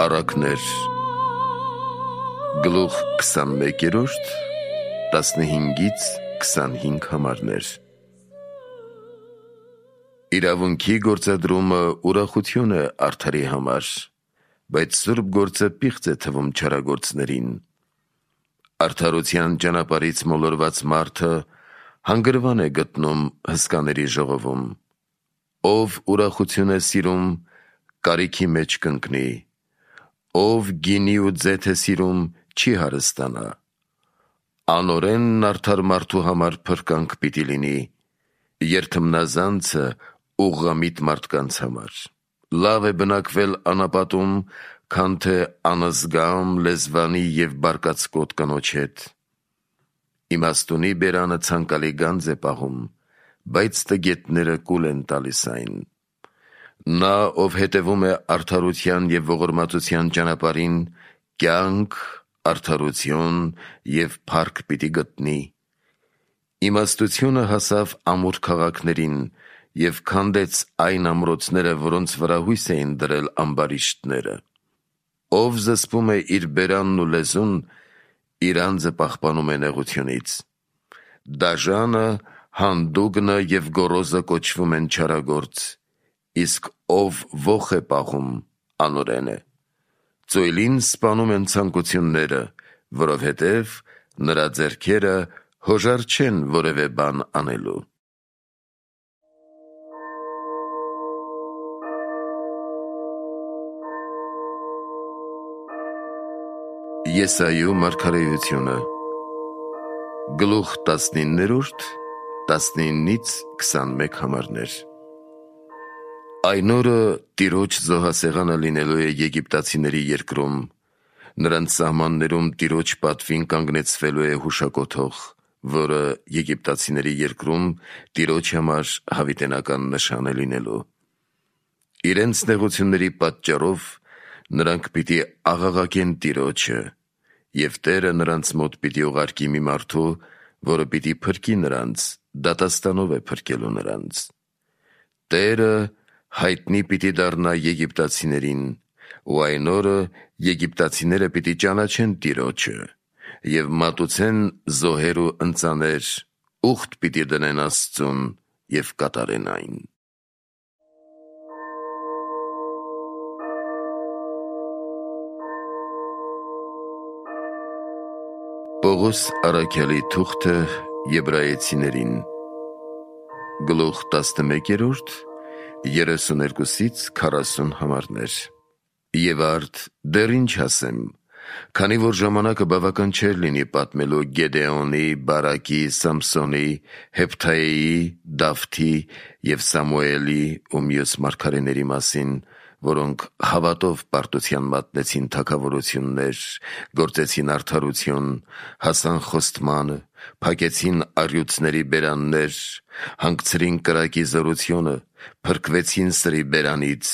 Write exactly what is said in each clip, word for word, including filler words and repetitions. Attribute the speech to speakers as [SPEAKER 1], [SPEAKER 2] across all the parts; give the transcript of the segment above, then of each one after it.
[SPEAKER 1] Առակներ գլուխ քսանմեկերորդ տասնհինգից քսանհինգ համարներ։ Իրավունքի գործադրումը ուրախություն է արդարի համար, բայց սուրբ գործը պիղծ է թվում չարագործներին։ Արդարության ճանապարհից մոլորված մարդը հանգրվան է գտնում հսկաների ժողովում։ Ով ուրախություն է սիրում, կարիքի մեջ կընկնի, ով գինի ու ձեթ է սիրում, չի հարստանա։ Անօրենն արդար մարդու համար փրկանք պիտի լինի, երթմնազանցը ուղղամիտ մարդկանց համար։ Լավ է բնակվել անապատում, քան թե անզգամ, լեզվանի և բարկացկոտ կնոջ հետ։ Իմաստունի բերանը ցանկալի գանձ է պահում, բայց տգետները կուլ են տալիս այն։ Նա, ով հետևում է արդարության և ողորմածության ճանապարհին, կյանք, արդարություն և փառք պիտի գտնի։ Իմաստությունը հասավ ամուր քաղաքներին և քանդեց այն ամրոցները, որոնց վրա հույս էին դրել ամբարիշտները։ Ով զսպում է իր բերանն ու լեզուն, իր անձը պահպանում է նեղությունից։ Դաժանը, հանդուգնը և գոռոզը կոչվում են չարագործ, իսկ ով ոխ է պահում, անօրեն է։ Ծոյլին սպանում են ցանկությունները, որովհետև նրա ձեռքերը հոժար չեն որևէ բան անելու։ Եսայու մարգարեությունը գլուխ տասնիններորդ տասնինից քսանմեկ համարներ։ Այն օրը Տիրոջ զոհասեղանը լինելու է եգիպտացիների երկրում, նրանց սահմաններում Տիրոջ պատվին կանգնեցվելու է հուշակոթող, որը եգիպտացիների երկրում Տիրոջ համար հավիտենական նշան է լինելու։ Իրենց նեղությունների պատճառով նրանք պիտի աղաղակեն Տիրոջը, և Տերը նրանց մոտ պիտի ուղարկի մի մարդու, որը պիտի փրկի նրանց, դատաստանով է փրկելու նրանց։ Տերը հայտնի պիտի դառնա եգիպտացիներին, ու այն օրը եգիպտացիները պիտի ճանաչեն Տիրոջը և մատուցեն զոհեր ու ընծաներ, ուխտ պիտի դնեն Աստծուն և կատարեն այն։ Պողոս առաքյալի թուղթը Եբրայեցիներին գլուխ տասնմեկերորդ երեսուներկուսից քառասուն համարներ։ Եվ արդ դեռ ինչ ասեմ, քանի որ ժամանակը բավական չէր լինի պատմելու Գեդեոնի, Բարակի, Սամսոնի, Հեփթայեի, Դավթի և Սամուելի ու մյուս մարգարեների մասին, որոնք հավատով պարտության մատնեցին թագավորություններ, գործեցին արդարություն, հասան խոստմանը, փակեցին առյուծների բերաններ, հանգցրին կրակի զորությունը, փրկվեցին սրի բերանից,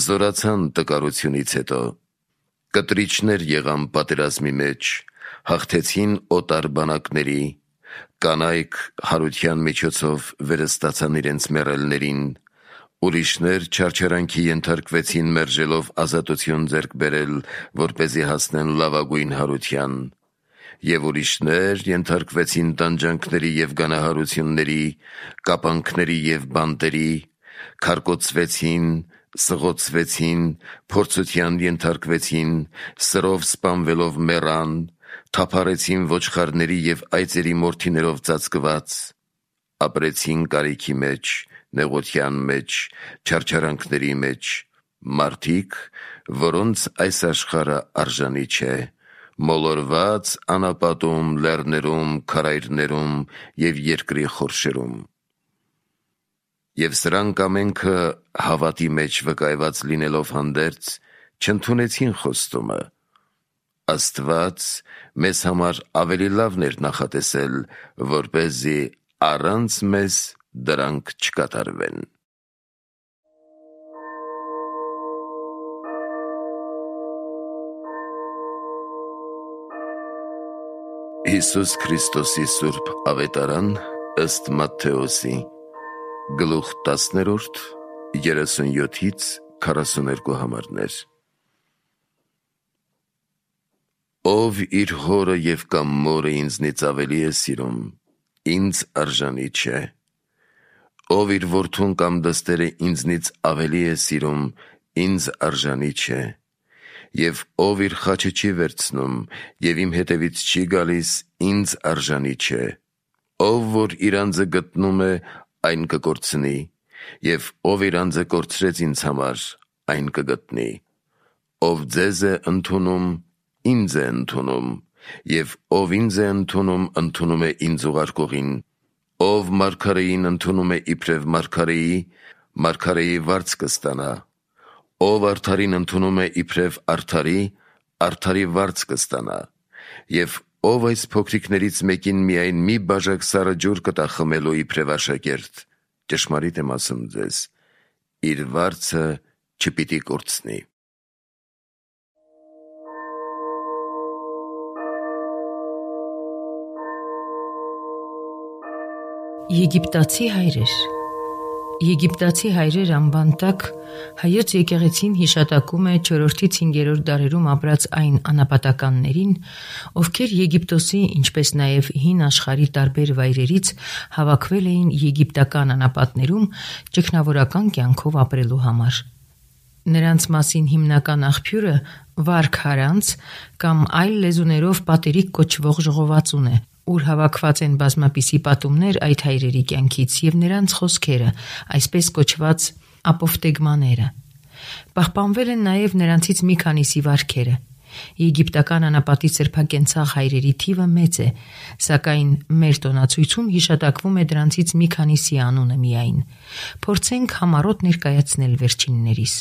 [SPEAKER 1] զորացան տկարությունից հետո, կտրիչներ եղան պատերազմի մեջ, հաղթեցին օտար բանակների, կանայք հարության միջոցով վերստացան իրենց մեռելներին, ուրիշներ չարչարանքի ենթարկվեցին մերժելով ազատություն ձեռք բերել, որպեսզի հասնեն լավագույն հարության, և ուրիշներ ենթարկվեցին տանջանքների և գանահարությունների, կապանքների և բանտերի, քարկոծվեցին, սղոցվեցին, փորձության ենթարկվեցին, սրով սպանվելով մեռան, թափառեցին ոչխարների և այծերի մորթիներով ծածկված, ապրեցին կարիքի մեջ, նեղության մեջ, չարչարանքների մեջ, մարդիկ, որոնց այս աշխարհը արժանի չէ, մոլորված անապատում, լեռներում, քարայրներում և երկրի խորշերում։ Եվ սրանք ամենքը հավատի մեջ վկայված լինելով հանդերձ, չընդունեցին խոստումը։ Աստված մեզ համար ավելի լավն էր նախատեսել, որպեսզի առանց մեզ դրանք չկատարվեն։ Հիսուս Քրիստոսի սուրբ ավետարան ըստ Մատթեոսի գլուխ տասներորդ երեսունյոթից քառասուներկու համարներ։ Ով իր հորը և կամ մորը ինձնից ավելի է սիրում, ինձ արժանի չէ։ Ով իր որդուն կամ դստերը ինձնից ավելի է սիրում, ինձ արժանի չէ։ Եվ ով իր խաչը չի վերցնում և իմ հետևից չի գալիս, ինձ արժանի չէ։ Ով որ իր անձը գտնում է, այն կկորցնի, և ով իր անձը կորցրեց ինձ համար, այն կգտնի։ Ով ձեզ է ընդունում, ինձ է ընդունում, և ով ինձ է ընդունում, ընդունում է ինձ ուղարկողին։ Ով մարգարեին ընդունում է իբրև մարգարեի, մարգարեի վարձ կստանա։ Ով արդարին ընդունում է իբրև արդարի, արդարի վարձ կստանա։ Եվ ով այս փոքրիկներից մեկին միայն մի բաժակ սառը ջուր կտա խմելու իբրև աշակերտ, ճշմարիտ եմ ասում ձեզ, իր վարձը չպիտի կորցնի։
[SPEAKER 2] Եգիպտացի հայրեր Եգիպտացի հայրեր անվան տակ հայոց եկեղեցին հիշատակում է չորրորդից հինգերորդ դարերում ապրած այն անապատականներին, ովքեր Եգիպտոսի, ինչպես նաև հին աշխարհի տարբեր վայրերից հավաքվել էին եգիպտական անապատներում ճգնավորական կյանքով ապրելու համար։ Նրանց մասին հիմնական աղբյուրը Վարք Հարանց կամ այլ լեզուներով պատերիկ կոչվող ժողովածուն է, ուր հավաքված են բազմապիսի պատումներ այդ հայրերի կյանքից և նրանց խոսքերը, այսպես կոչված ապոֆտեգմաները։ Պահպանվել են նաև նրանցից մի քանիսի վարքերը։ Եգիպտական անապատի սրբակենցաղ հայրերի թիվը մեծ է, սակայն մեր տոնացույցում հիշատակվում է դրանցից մի քանիսի անունը միայն։ Փորձենք համառոտ ներկայացնել վերջիններիս։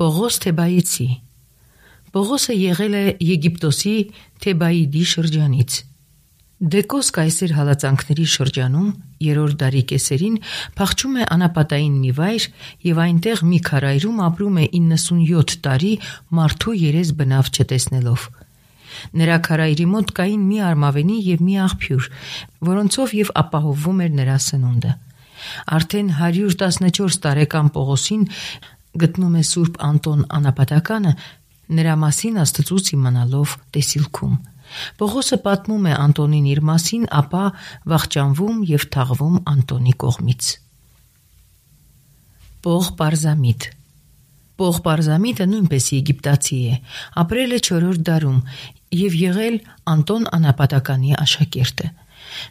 [SPEAKER 2] Պողոս Թեբայեցի Պողոսը եղել է Եգիպտոսի Թեբայիդի շրջանից։ Դեկոս կայսեր հալածանքների շրջանում երրորդ դարի կեսերին փախչում է անապատային մի վայր և այնտեղ մի քարայրում ապրում է իննսունյոթ տարի մարդու երես բնավ չտեսնելով։ Նրա քարայրի մոտ կային մի արմավենի և մի աղբյուր, որոնցով և ապահովվում էր նրա սնունդը։ Արդեն հարյուր տասնչորս տարեկան Պողոսին գտնում է Սուրբ Անտոն Անապատականը, նրա մասին Աստծուց իմանալով տեսիլքում։ Պողոսը պատմում է Անտոնին իր մասին, ապա վախճանվում և թաղվում Անտոնի կողմից։ Պող Պարզամիտ Պող Պարզամիտը նույնպես եգիպտացի է, ապրել է չորրորդ դարում և եղել Անտոն Անապատականի աշակերտը։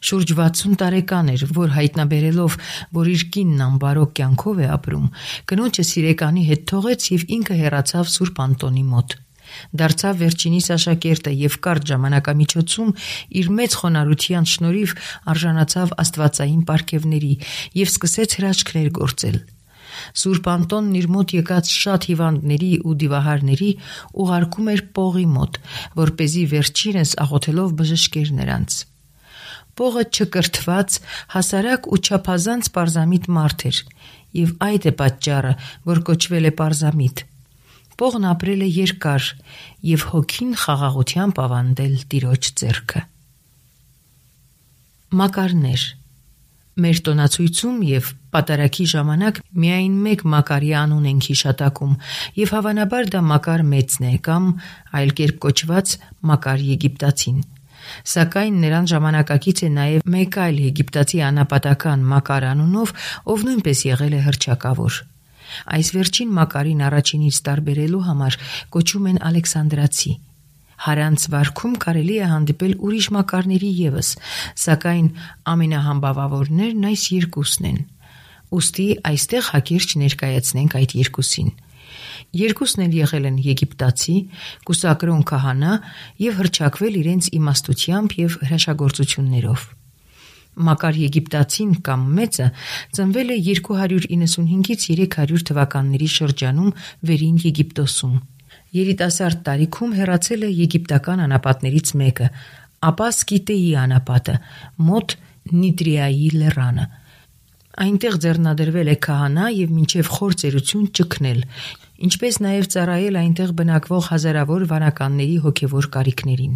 [SPEAKER 2] Շուրջ վաթսուն տարեկան էր, որ հայտնաբերելով, որ իր կինն անբարոք կյանքով է ապրում, կնոջը սիրեկանի հետ թողեց և ինքը հեռացավ Սուրբ Անտոնի մոտ։ Դարձավ վերջինիս աշակերտը և կարճ ժամանակամիջոցում իր մեծ խոնարհության շնորհիվ արժանացավ աստվածային պարգևների և սկսեց հրաշքներ գործել։ Սուրբ Անտոնն իր մոտ եկած շատ հիվանդների ու դիվահարների ուղարկում էր Պողի մոտ, որպեսզի վերջինս աղոթելով բժշկեր նրանց։ Պողը չկրթված, հասարակ ու չափազանց պարզամիտ մարդ էր, և այդ է պատճառը, որ կոչվել է Պարզամիտ։ Պողն ապրել է երկար և հոգին խաղաղությամբ ավանդել Տիրոջ ձեռքը։ Մակարներ Մեր տոնացույցում և պատարագի ժամանակ միայն մեկ Մակարի անուն ենք հիշատակում, և հավանաբար դա Մակար մեծն է կամ այլ կերպ կոչված Մակար Եգիպտացին։ Սակայն նրան ժամանակակից է նաև մեկ այլ եգիպտացի անապատական Մակար անունով, ով նույնպես եղել է հռչակավոր։ Այս վերջին Մակարին առաջինից տարբերելու համար կոչում են Ալեքսանդրացի։ Հարանց վարքում կարելի է հանդիպել ուրիշ Մակարների ևս, սակայն ամենահամբավավորներն այս երկուսն են։ Ուստի այստեղ հակիրճ ներկայացնենք այդ երկուսին։ Երկուսն էլ եղել են եգիպտացի, կուսակրոն քահանա և հռչակվել իրենց իմաստությամբ և հրաշագործություններով։ Մակար Եգիպտացին կամ մեծը ծնվել է երկու հարյուր իննսունհինգից երեք հարյուր թվականների շրջանում Վերին Եգիպտոսում։ Երիտասարդ տարիքում հեռացել է եգիպտական անապատներից մեկը, ապա Սկիտեի անապատը, մոտ Նիտրիայի լեռանը։ Այնտեղ ձեռնադրվել է քահանա և մինչև խոր ծերություն ճգնել, ինչպես նաև ծառայել այնտեղ բնակվող հազարավոր վանականների հոգևոր կարիքներին։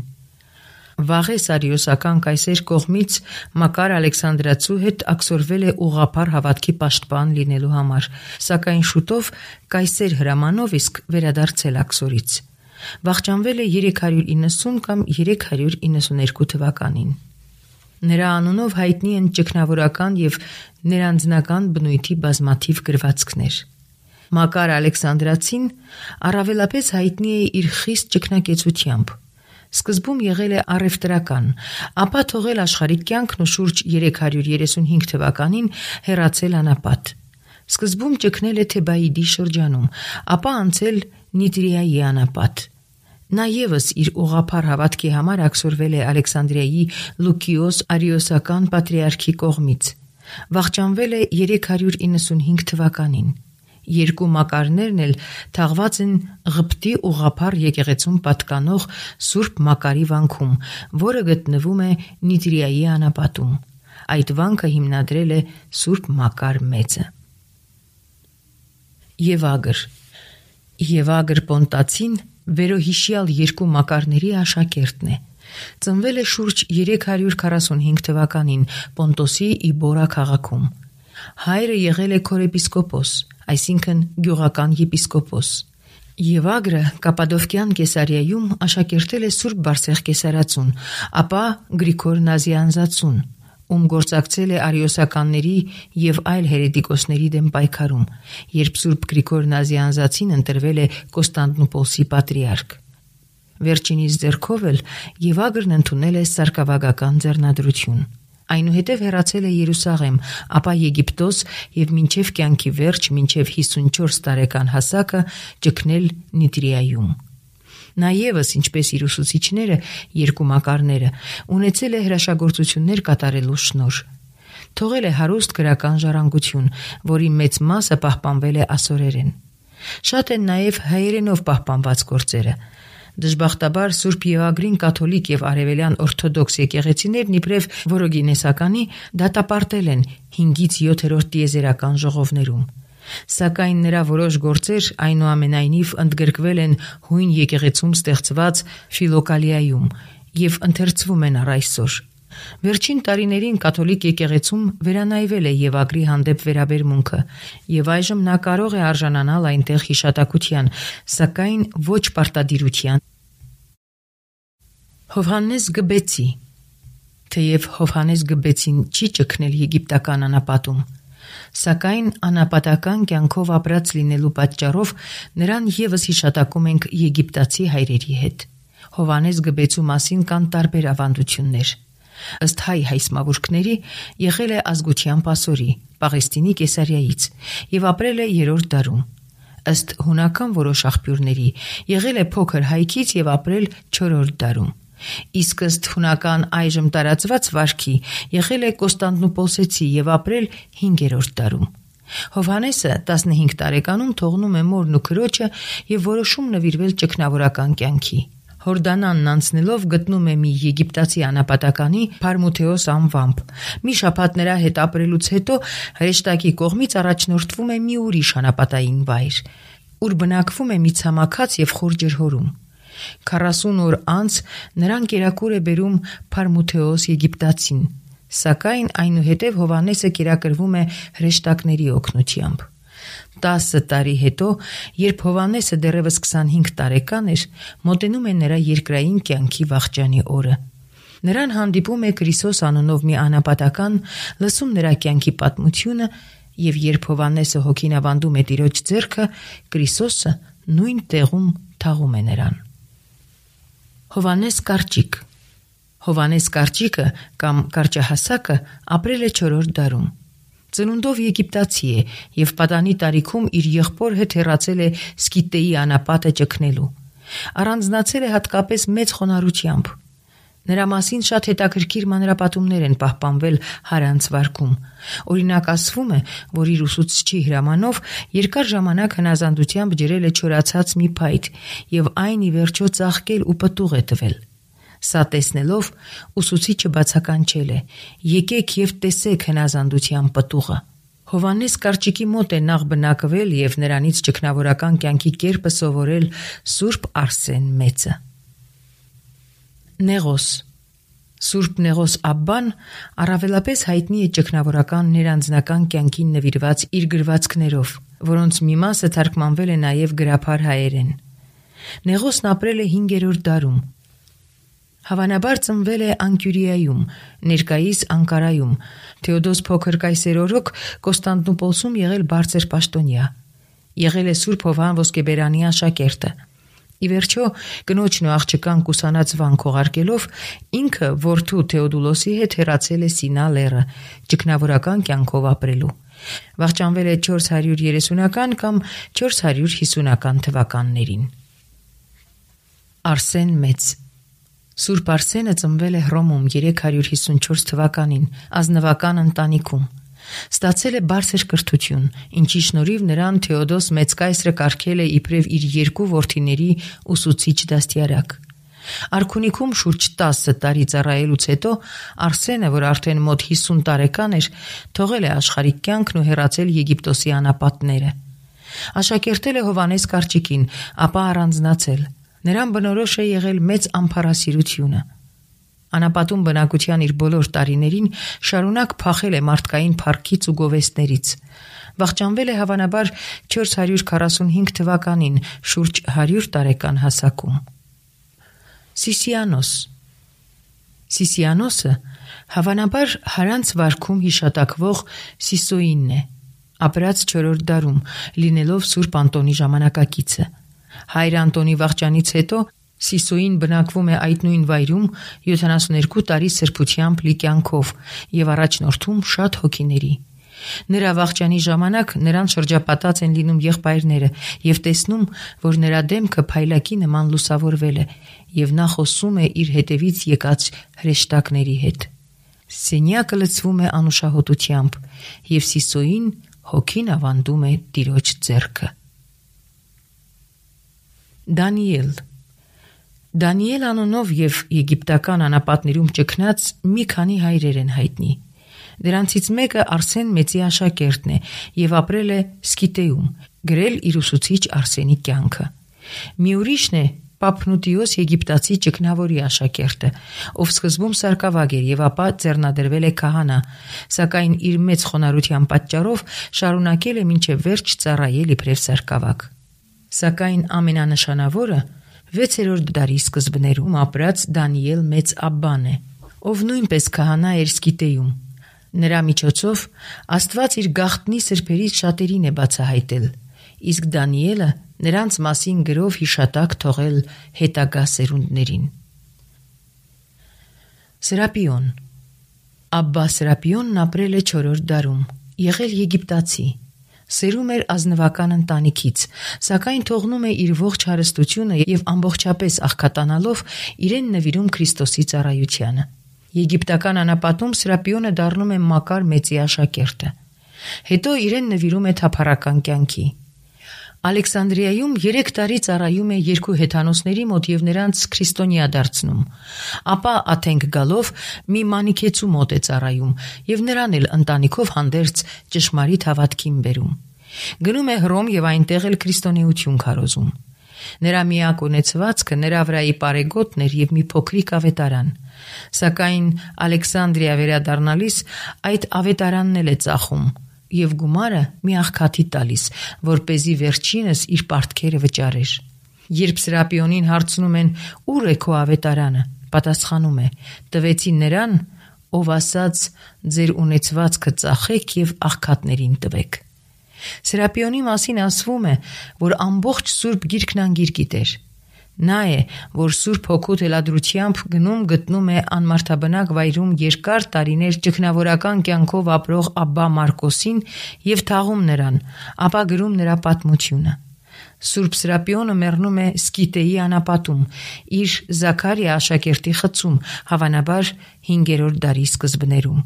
[SPEAKER 2] Վաղես արիոսական կայսեր կողմից Մակար Ալեքսանդրացու հետ աքսորվել է ուղղափառ հավատքի պաշտպան լինելու համար, սակայն շուտով կայսեր հրամանով իսկ վերադարձել աքսորից։ Վախճանվել է երեք հարյուր իննսուն կամ երեք հարյուր իննսուներկու թվականին։ Նրա անունով հայտնի են ճգնավորական և ներանձնական բնույթի բազմաթիվ գրվածքներ։ Մակար Ալեքսանդրացին առավելապես հայտնի է իր խիստ ճգնակեցությամբ։ Սկզբում եղել է առևտրական, ապա թողել աշխարհիկ կյանքն ու շուրջ երեք հարյուր երեսունհինգ թվականին հեռացել անապատ։ Սկզբում ճգնել է Թեբաիդի շրջանում, ապա անցել Նիտրիայի անապատ։ Նա ևս իր ուղղափառ հավատքի համար աքսորվել է Ալեքսանդրիայի Լուկիոս Արիոսական պատրիարքի կողմից։ Վախճանվել է երեք հարյուր իննսունհինգ թվականին։ Երկու մակարներն էլ թաղված են Ղպտի ուղղափառ եկեղեցուն պատկանող Սուրբ Մակարի վանքում, որը գտնվում է Նիտրիայի անապատում։ Այդ վանքը հիմնադրել է Սուրբ Մակար Մեծը։ Եվագր Եվագր Պոնտացին վերոհիշյալ երկու մակարների աշակերտն է։ Ծնվել է շուրջ երեք հարյուր քառասունհինգ թվականին Պոնտոսի Իբորա քաղաքում։ Հայրը եղել է քորեպիսկոպոս, այսինքն գյուղական եպիսկոպոս։ Եվագրը Կապադովկյան Կեսարիայում աշակերտել է Սուրբ Բարսեղ Կեսարացուն, ապա Գրիգոր Նազիանզացուն, ում գործակցել է արիոսականների և այլ հերետիկոսների դեմ պայքարում, երբ Սուրբ Գրիգոր Նազիանզացին ընտրվել է Կոստանդնուպոլսի պատրիարք։ Վերջինիս ձեռքով էլ Եվագրն ընդունել է սարկավագական ձեռնադրություն։ Այնուհետև հեռացել է Երուսաղեմ, ապա Եգիպտոս և մինչև կյանքի վերջ, մինչև հիսունչորս տարեկան հասակը ճգնել Նիտրիայում։ Նա ևս, ինչպես իր ուսուցիչները, երկու մակարները, ունեցել է հրաշագործություններ կատարելու շնորհ։ Թողել է հարուստ գրական ժառանգություն, որի մեծ մասը պահպանվել է ասորերեն։ Շատ են նաև հայերենով պահպանված գործերը։ Դժբախտաբար Սուրբ Եվագրին կաթոլիկ և արևելյան օրթոդոքս եկեղեցիներն իբրև որոգինեսականի դատապարտել են հինգից յոթերորդ տիեզերական ժողովներում։ Սակայն նրա որոշ գործեր այնուամենայնիվ ընդգրկվել են հույն եկեղեցում ստեղծված Ֆիլոկալիայում և ընթերցվում են առ այսօր։ Վերջին տարիներին կաթոլիկ եկեղեցում վերանայվել է Եվագրի հանդեպ վերաբերմունքը, և այժմ նա կարող է արժանանալ այնտեղ հիշատակության, սակայն ոչ պարտադիրության։ Հովհաննես Գբեցի Թեև Հովհաննես Գբեցին չի ճգնել եգիպտական անապատում, սակայն անապատական կյանքով ապրած լինելու պատճառով նրան ևս հիշատակում ենք եգիպտացի հայրերի հետ։ Հովհաննես Գբեցու մասին կան տարբեր ավանդություններ։ Ըստ հայ հայսմավուրքների եղել է ազգությամբ ասորի, Պաղեստինի Կեսարիայից և ապրել է երրորդ դարում։ Ըստ հունական որոշ աղբյուրների եղել է փոքր հայքից և ապրել չորրորդ դարում։ Իսկ ըստ հունական այժմ տարածված վարքի եղել է Կոստանդնուպոլսեցի և ապրել հինգերորդ դարում։ Հովհաննեսը տասնհինգ տարեկանում թողնում է մորն ու քրոջը և որոշում նվիրվել ճգնավորական կյանքի։ Հորդանանն անցնելով գտնում է մի եգիպտացի անապատականի Փարմութեոս անվամբ։ Մի շաբաթ նրա հետ ապրելուց հետո հրեշտակի կողմից առաջնորդվում է մի ուրիշ անապատային վայր, ուր բնակվում է մի ցամաքած և խոր ջրհորում։ Քառասուն օր անց նրան կերակուր է բերում Փարմութեոս Եգիպտացին, սակայն այնուհետև Հովհաննեսը կերակրվում է հրեշտակների օգնությամբ։ Տասը տարի հետո, երբ Հովհաննեսը դեռևս քսանհինգ տարեկան էր, մոտենում է նրա երկրային կյանքի վախճանի օրը։ Նրան հանդիպում է Կրիսոս անունով մի անապատական, լսում նրա կյանքի պատմությունը, և երբ Հովհաննեսը հոգին ավանդում է Տիրոջ ձեռքը, Կրիսոսը նույն տեղում թաղում է նրան։ Հովհաննես Կարճիկ Հովհաննես Կարճիկը կամ Կարճահասակը ապրել է չորրորդ դարում։ Ծնունդով եգիպտացի է և պատանի տարիքում իր եղբոր հետ հեռացել է Սկիտեի անապատը ճգնելու։ Առանձնացել է հատկապես մեծ խոնարհությամբ։ Նրա մասին շատ հետաքրքիր մանրապատումներ են պահպանվել Հարանց վարքում։ Օրինակ ասվում է, որ իր ուսուցչի հրամանով երկար ժամանակ հնազանդությամբ ջրել է չորացած մի փայտ և այն ի վերջո ծաղկել ու պտուղ է տվել։ Սա տեսնելով ուսուցիչը բացականչել է. «Եկեք և տեսեք հնազանդության պտուղը»։ Հովհաննես Կարճիկի մոտ է նախ բնակվել և նրանից ճգնավորական կյանքի կերպը սովորել Սուրբ Արսեն Մեծը։ Նեղոս Սուրբ Նեղոս Աբբան առավելապես հայտնի է ճգնավորական ներանձնական կյանքին նվիրված իր գրվածքներով, որոնց մի մասը թարգմանվել է նաև գրաբար հայերեն։ Նեղոսն ապրել է հինգերորդ դարում։ Հավանաբար ծնվել է Անկյուրիայում, ներկայիս Անկարայում, Թեոդոս Փոքր կայսեր օրոք Կոստանդնուպոլսում եղել բարձր պաշտոնյա։ Եղել է Սուրբ Հովհան Ոսկեբերանի աշակերտը։ Ի վերջո, կնոջն ու աղջկան կուսանած վան քողարկելով, ինքը որդու Թեոդուլոսի հետ հեռացել է Սինա լեռը, ճգնավորական կյանքով ապրելու։ Վախճանվել է չորս հարյուր երեսունական կամ չորս հարյուր հիսունական թվականներին։ Արսեն Մեծ Սուրբ Արսենը ծնվել է Հռոմում երեք հարյուր հիսունչորս թվականին, ազնվական ընտանիքում։ Ստացել է բարձր կրթություն, ինչի շնորհիվ նրան Թեոդոս Մեծ կայսրը կարգել է իբրև իր երկու որդիների ուսուցիչ դաստիարակ։ Արքունիքում շուրջ տասը տարի ծառայելուց հետո Արսենը, որ արդեն մոտ հիսուն տարեկան էր, թողել է աշխարհիկ կյանքն ու հեռացել Եգիպտոսի անապատները։ Աշակերտել է Հովհաննես կարճիկին, ապա առանձնացել։ Նրան բնորոշ է եղել մեծ ամփարասիրությունը։ Անապատում բնակության իր բոլոր տարիներին շարունակ փախել է մարդկային փառքից ու գովեստներից։ Վախճանվել է հավանաբար չորս հարյուր քառասունհինգ թվականին, շուրջ հարյուր տարեկան հասակում։ Սիսիանոս Սիսիանոսը հավանաբար Հարանց վարքում հիշատակվող Սիսոինն է, ապրած չորրորդ դարում, լինելով Սուրբ Անտոնի ժամանակակիցը։ Հայր Անտոնի վախճանից հետո Սիսոին բնակվում է այդ նույն վայրում յոթանասունհինգ տարի սրբությամբ լի կյանքով և առաջնորդում շատ հոգիների։ Նրա վախճանի ժամանակ նրան շրջապատած են լինում եղբայրները և տեսնում, որ նրա դեմքը փայլակի նման լուսավորվել է, և նա խոսում է իր հետևից եկած հրեշտակների հետ։ Սենյակը լցվում է անուշահոտությամբ, և Սիսոին հոգին ավանդում է Տիրոջ ձեռքը։ Դանիել Դանիել անունով և եգիպտական անապատներում ճգնած մի քանի հայրեր են հայտնի։ Դրանցից մեկը Արսեն Մեծի աշակերտն է և ապրել է Սկիտեում, գրել իր ուսուցիչ Արսենի կյանքը։ Մի ուրիշն է Պապնուտիոս եգիպտացի ճգնավորի աշակերտը, ով սկզբում սարկավագ էր և ապա ձեռնադրվել է քահանա, սակայն իր մեծ խոնարհության պատճառով շարունակել է մինչև վերջ ծառայել իբրև սարկավագ։ Սակայն ամենանշանավորը վեցերորդ դարի սկզբներում ապրած Դանիել Մեծ Աբբան է, ով նույնպես քահանա էր Սկիտեում։ Նրա միջոցով Աստված իր գաղտնի սրբերից շատերին է բացահայտել, իսկ Դանիելը նրանց մասին գրով հիշատակ թողել հետագա սերունդներին։ Սրապիոն Աբբա Սրապիոնն ապրել է չորրորդ դարում, եղել եգիպտացի։ Սերում էր ազնվական ընտանիքից, սակայն թողնում է իր ողջ հարստությունը և ամբողջապես աղքատանալով իրեն նվիրում Քրիստոսի ծառայությանը։ Եգիպտական անապատում Սրապիոնը դառնում է Մակար Մեծի աշակերտը։ Հետո իրեն նվիրում է թափառական կյանքի։ Ալեքսանդրիայում երեք տարի ծառայում է երկու հեթանոսների մոտ և նրանց քրիստոնյա դարձնում։ Ապա Աթենք գալով մի մանիքեցու մոտ է ծառայում և նրան էլ ընտանիքով հանդերձ ճշմարիտ հավատքին բերում։ Գնում է Հռոմ և այնտեղ էլ քրիստոնեություն քարոզում։ Նրա միակ ունեցվածքը նրա վրայի պարեգոտն էր և մի փոքրիկ ավետարան։ Սակայն Ալեքսանդրիա վերադառնալիս այդ ավետարանն էլ է ծախում և գումարը մի աղքատի տալիս, որպեսզի վերջինս իր պարտքերը վճարեր։ Երբ Սրապիոնին հարցնում են «Ուր է քո ավետարանը», պատասխանում է. «Տվեցի նրան, ով ասաց. ձեր ունեցվածքը ծախեք և աղքատներին տվեք»։ Սրապիոնի մասին ասվում է, որ ամբողջ Սուրբ Գիրքն անգիր գիտեր։ Նա է, որ Սուրբ Հոգու թելադրությամբ գնում գտնում է անմարդաբնակ վայրում երկար տարիներ ճգնավորական կյանքով ապրող Աբբա Մարկոսին և թաղում նրան, ապա գրում նրա պատմությունը։ Սուրբ Սրապիոնը մեռնում է Սկիտեի անապատում, իր Զաքարիա աշակերտի խցում, հավանաբար հինգերորդ դարի սկզբներում։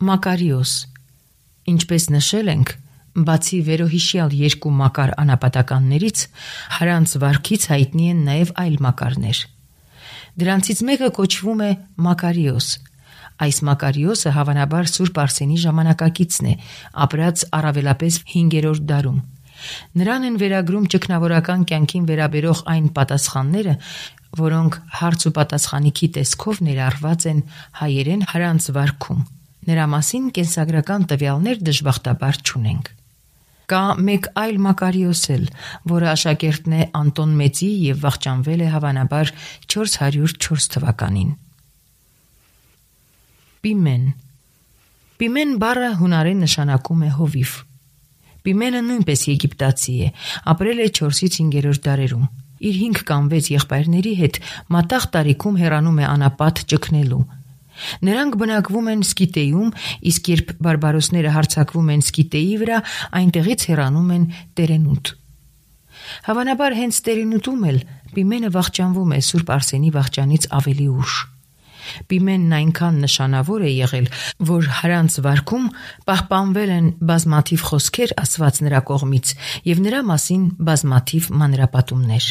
[SPEAKER 2] Մակարիոս Ինչպես նշել ենք, բացի վերոհիշյալ երկու Մակար անապատականներից, Հարանց վարքից հայտնի են նաև այլ Մակարներ։ Դրանցից մեկը կոչվում է Մակարիոս։ Այս Մակարիոսը հավանաբար Սուրբ Արսենի ժամանակակիցն է, ապրած առավելապես հինգերորդ դարում։ Նրան են վերագրում ճգնավորական կյանքին վերաբերող այն պատասխանները, որոնք հարց ու պատասխանիքի տեսքով ներառված են հայերեն Հարանց վարքում։ Նրա մասին կենսագրական տվյալներ դժբախտաբար չունենք։ Կա մեկ այլ Մակարիոս էլ, որը աշակերտն է Անտոն Մեծի և վախճանվել է հավանաբար չորս հարյուր չորս թվականին։ Պիմեն Պիմեն բառը հունարեն նշանակում է հովիվ։ Պիմենը նույնպես եգիպտացի է, ապրել է չորսից հինգերորդ դարերում։ Իր հինգ կամ վեց եղբայրների հետ մատաղ տարիքում հեռանում է անապատ ճգնելու։ Նրանք բնակվում են Սկիտեյում, իսկ երբ բարբարոսները հարձակվում են Սկիտեյի վրա, այնտեղից հեռանում են Տերենուտ։ Հավանաբար հենց Տերենուտում էլ Պիմենը վախճանվում է Սուրբ Արսենի վախճանից ավելի ուշ։ Պիմենն այնքան նշանավոր է եղել, որ Հարանց վարքում պահպանվել են բազմաթիվ խոսքեր ասված նրա կողմից և նրա մասին բազմաթիվ մանրապատումներ։